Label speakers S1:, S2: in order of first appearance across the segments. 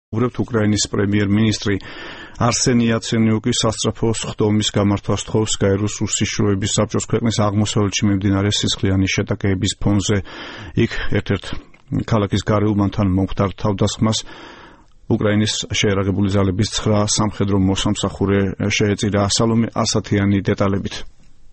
S1: უკრაინის პრემიერ-მინისტრი არსენი იაცენიუკი სასწრაფო სხდომის გამართვას თხოვს გაეროს უსიშროების საბჭოს ქვეყნის აღმოსავლეთში მიმდინარე სისხლიანი შეტაკების ფონზე. იქ ერთ-ერთ ქალაქის გარეუბანთან მომხდარ თავდასხმას უკრაინის შეერაგებული ძალების 9 სამხედრო მოსამსახურე შეეწირა. სალომე ასათიანი დეტალებით.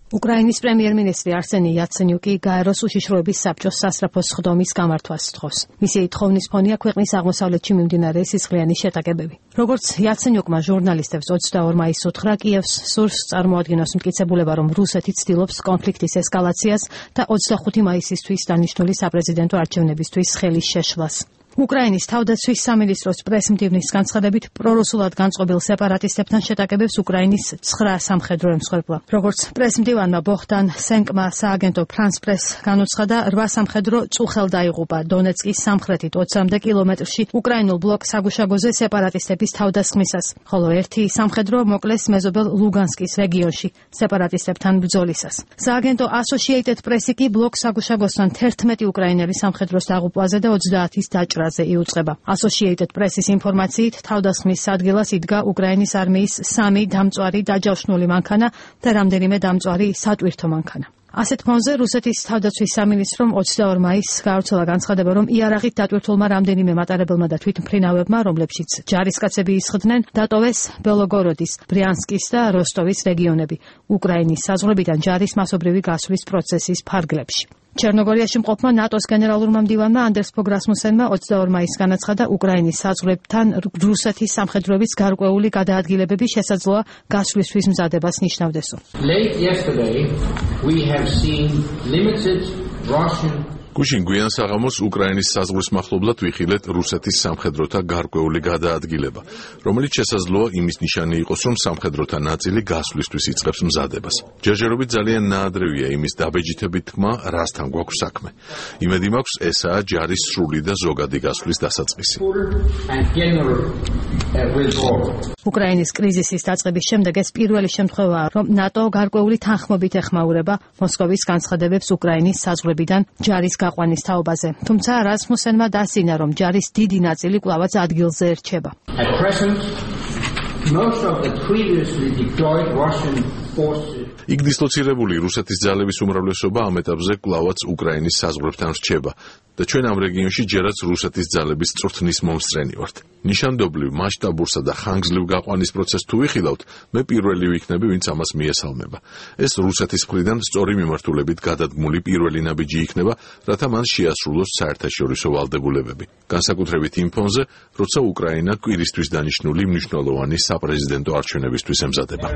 S2: უკრაინის პრემიერ-მინისტრი არსენი იაცენიუკი გაეროს უშიშროების საბჭოს სასწრაფო სხდომის გამართვას თხოვს. მისი თხოვნის ფონია ქვეყნის აღმოსავლეთში მიმდინარე სისხლიანი შეტაკებები. როგორც იაცენიუკმა ჟურნალისტებს 22 მაისს უთხრა, კიევს სურს წარმოადგინოს მტკიცებულება, რომ რუსეთი ცდილობს კონფლიქტის ესკალაციას და 25 მაისისთვის დანიშნული საპრეზიდენტო არჩევნებისთვის ხელის შეშლას. უკრაინის თავდაცვის სამინისტროს პრესმდივნის განცხადებით პრორუსულად განწყობილ სეპარატისტებთან შეტაკებებს უკრაინის 9 სამხედრო ემსხვერპლა. როგორც პრესმდივანმა ბოხდან სენკმა სააგენტო France Press განუცხადა, 8 სამხედრო წუხელ დაიღუპა დონეცკის სამხრეთით 20 კილომეტრში უკრაინულ ბლოკ საგუშაგოზე სეპარატისტების თავდასხმისას, ხოლო ერთი სამხედრო მოკლეს მეზობელ ლუგანსკის რეგიონში სეპარატისტებთან ბრძოლისას. სააგენტო Associated Press კი ბლოკ საგუშაგოსთან 11 უკრაინელი სამხედროს დაღუპვაზე და 30-ის დაჭრაზე იუწყება. Associated Press-ის ინფორმაციით, თავდასხმის ადგილას იდგა უკრაინის არმიის 3 დამწვარი დაჯავშნული მანქანა და რამდენიმე დამწვარი სატვირთო მანქანა. ასეთ ფონზე რუსეთის თავდაცვის სამინისტრომ 22 მაისს გაავრცელა განცხადება, რომ იარაღით დატვირთულმა რამდენიმე მატარებელმა და თვითმფრინავებმა, რომლებშიც ჯარისკაცები ისხდნენ, დატოვეს ბელოგოროდის, ბრიანსკის და როსტოვის რეგიონები უკრაინის საზღვრებიდან ჯარის მასობრივი გასვლის პროცესის ფარგლებში. ჩერნოგორიაში მყოფმა ნატოს გენერალურმა მდივანმა ანდერს ფოგ რასმუსენმა 22 მაისს განაცხადა, უკრაინის საზღვრებთან რუსეთის სამხედროების გარკვეული გადაადგილებები შესაძლოა გასვლისთვის მზადებას ნიშნავდესო.
S3: გუშინ გვიან საღამოს უკრაინის საზღვრის მახლობლად ვიხილეთ რუსეთის სამხედროთა გარკვეული გადაადგილება, რომელიც შესაძლოა იმის ნიშანი იყოს, რომ სამხედროთა ნაწილი გასვლისთვის იწყებს მზადებას. ჯერჯერობით ძალიან ნაადრევია იმის დაბეჯითებით თქმა, რასთან გვაქვს საქმე. იმედი მაქვს, ესაა ჯარის სრული და ზოგადი გასვლის დასაწყისი.
S2: უკრაინის კრიზისის დაწყების შემდეგ ეს პირველი შემთხვევაა, რომ ნატო გარკვეული თანხმობით ეხმაურება მოსკოვის განცხადებებს უკრაინის საზღვრებიდან ჯარის გაყვანის თაობაზე. თუმცა რასმუსენმა დასინა, რომ ჯარის დიდი ნაწილი კვლავაც ადგილზე ერჩება.
S3: იქ დისლოცირებული რუსეთის ძალების უმრავლესობა ამ ეტაპზე კვლავაც უკრაინის საზღვრებთან რჩება და ჩვენ ამ რეგიონში ჯერაც რუსეთის ძალების წვრთნის მომსწრენი ვართ. ნიშანდობლივ, მასშტაბურსა და ხანგრძლივ გაყვანის პროცესს თუ ვიხილავთ, მე პირველი ვიქნები, ვინც ამას მიესალმება. ეს რუსეთის მხრიდან სწორი მიმართულებით გადადგმული პირველი ნაბიჯი იქნება, რათა მან შეასრულოს საერთაშორისო ვალდებულებები. განსაკუთრებით იმ ფონზე, როცა უკრაინა კვირისთვის დანიშნული მნიშვნელოვანი საპრეზიდენტო არჩევნებისთვის ემზადება.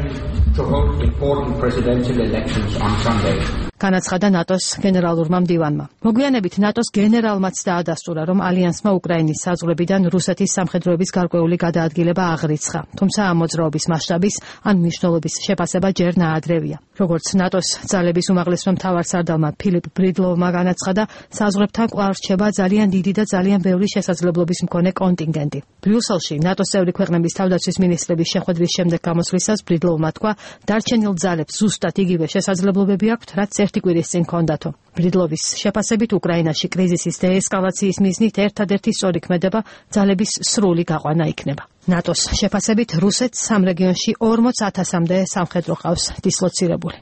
S2: განაცხადა ნატოს გენერალურმა მდივანმა. მოგვიანებით ნატოს გენერალმაც დაადასტურა, რომ ალიანსმა უკრაინის საზღვრებიდან რუსეთის სამხედროების გარკვეული გადაადგილება აღრიცხა. თუმცა ამ მოძრაობის მასშტაბის ან მნიშვნელობის შეფასება ჯერ ნაადრევია. როგორც ნატოს ძალების უმაღლესმა მთავარსარდალმა ფილიპ ბრიდლოვმა განაცხადა, საზღვრებთან კვლავ რჩება ძალიან დიდი და ძალიან ბევრი შესაძლებლობის მქონე კონტინგენტი. ბრიუსელში ნატოს წევრი ქვეყნების თავდაცვის მინისტრების შეხვედრის შემდეგ გამოსვლისას ბრიდლოვმა თქვა, დარჩენილ ძალებს ზუსტად იგივე შესაძლებლობები აქვთ, რაც ერთი კვირის წინ ჰქონდათო. ბრიდლოვის შეფასებით უკრაინაში კრიზისის დეესკალაციის მიზნით ერთადერთი სწორი ქმედება ძალების სრული გაყვანა იქნება. ნატოს შეფასებით რუსეთს ამ რეგიონში 40,000-მდე სამხედრო ჰყავს დისლოცირებული.